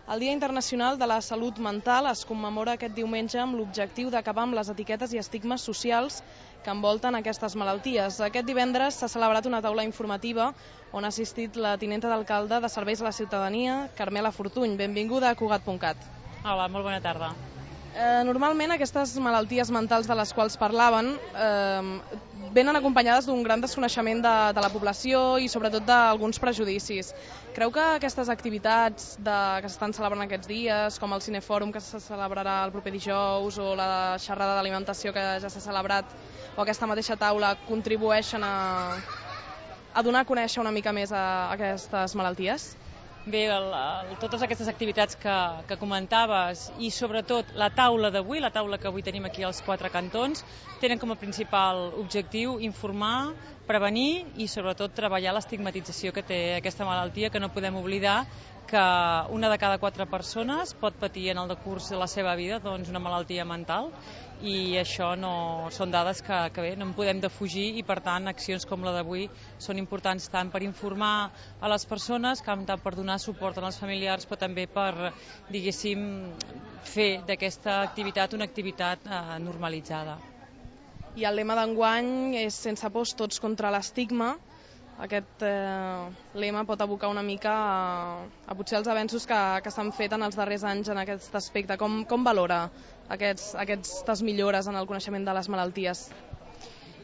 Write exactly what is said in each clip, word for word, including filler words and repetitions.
El Dia Internacional de la Salut Mental es commemora aquest diumenge amb l'objectiu d'acabar amb les etiquetes i estigmes socials que envolten aquestes malalties. Aquest divendres s'ha celebrat una taula informativa on ha assistit la tinenta d'alcalde de Serveis a la Ciutadania, Carmela Fortuny. Benvinguda a Cugat punt cat. Hola, molt bona tarda. Eh, normalment aquestes malalties mentals de les quals parlaven eh, venen acompanyades d'un gran desconeixement de, de la població i sobretot d'alguns prejudicis. Creu que aquestes activitats de, que s'estan celebrant aquests dies, com el Cinefòrum que se celebrarà el proper dijous o la xerrada d'alimentació que ja s'ha celebrat o aquesta mateixa taula, contribueixen a, a donar a conèixer una mica més a, a aquestes malalties? Bé, el, el, totes aquestes activitats que, que comentaves i sobretot la taula d'avui, la taula que avui tenim aquí als quatre cantons, tenen com a principal objectiu informar, prevenir i sobretot treballar l'estigmatització que té aquesta malaltia, que no podem oblidar que una de cada quatre persones pot patir en el decurs de la seva vida doncs, una malaltia mental i això no, són dades que, que bé, no en podem defugir i per tant accions com la d'avui són importants tant per informar a les persones com tant per donar suport als familiars però també per, diguéssim, fer d'aquesta activitat una activitat eh, normalitzada. I el lema d'enguany és sense pors tots contra l'estigma. Aquest eh, lema pot abocar una mica a, a potser els avenços que, que s'han fet en els darrers anys en aquest aspecte. Com, com valora aquests, aquestes millores en el coneixement de les malalties?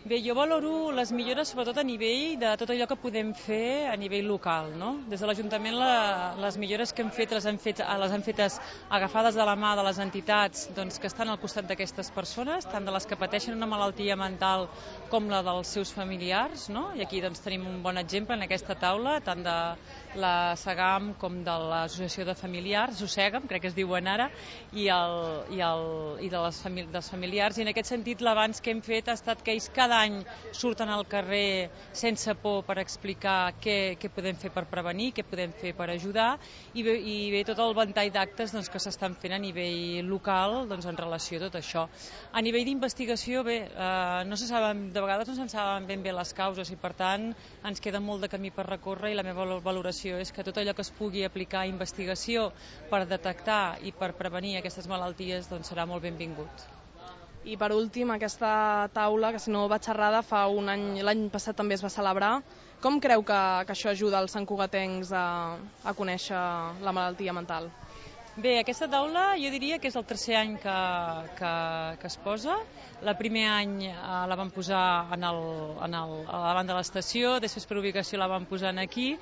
Bé, jo valoro les millores sobretot a nivell de tot allò que podem fer a nivell local, no? Des de l'Ajuntament la, les millores que hem fet les hem fet les hem fetes agafades de la mà de les entitats doncs, que estan al costat d'aquestes persones, tant de les que pateixen una malaltia mental com la dels seus familiars, no? I aquí doncs, tenim un bon exemple en aquesta taula, tant de la SEGAM com de l'Associació de Familiars, SOSEGAM, crec que es diuen ara, i, el, i, el, i de les famili dels familiars. I en aquest sentit l'avanç que hem fet ha estat que ells cada any surten al carrer sense por per explicar què, què podem fer per prevenir, què podem fer per ajudar i bé, i bé tot el ventall d'actes doncs, que s'estan fent a nivell local doncs, en relació a tot això. A nivell d'investigació, bé, eh, no se saben, de vegades no se'n saben ben bé les causes i per tant ens queda molt de camí per recórrer i la meva valoració és que tot allò que es pugui aplicar a investigació per detectar i per prevenir aquestes malalties doncs, serà molt benvingut. I per últim, aquesta taula, que si no vaig errada, fa un any, l'any passat també es va celebrar. Com creu que, que això ajuda els santcugatencs a, a conèixer la malaltia mental? Bé, aquesta taula jo diria que és el tercer any que, que, que es posa. El primer any eh, la vam posar en el, en el, a davant de l'estació, després per ubicació la vam posar aquí.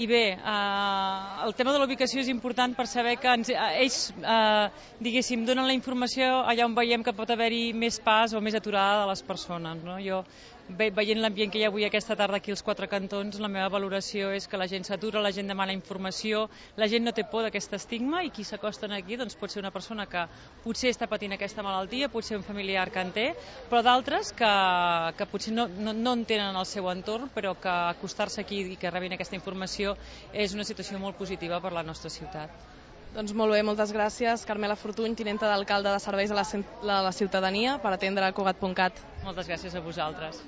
I bé, eh, el tema de la ubicació és important per saber que ens, eh, ells, eh, diguéssim, donen la informació allà on veiem que pot haver-hi més pas o més aturada de les persones. No? Jo, ve, veient l'ambient que hi ha avui aquesta tarda aquí als quatre cantons, la meva valoració és que la gent s'atura, la gent demana informació, la gent no té por d'aquest estigma i qui s'acosten aquí doncs, pot ser una persona que potser està patint aquesta malaltia, pot ser un familiar que en té, però d'altres que, que potser no, no, no en tenen al seu entorn, però que acostar-se aquí i que rebin aquesta informació és una situació molt positiva per la nostra ciutat. Doncs molt bé, moltes gràcies. Carmela Fortuny, tinenta d'alcalde de Serveis a la, a la Ciutadania, per atendre Cugat punt cat. Moltes gràcies a vosaltres.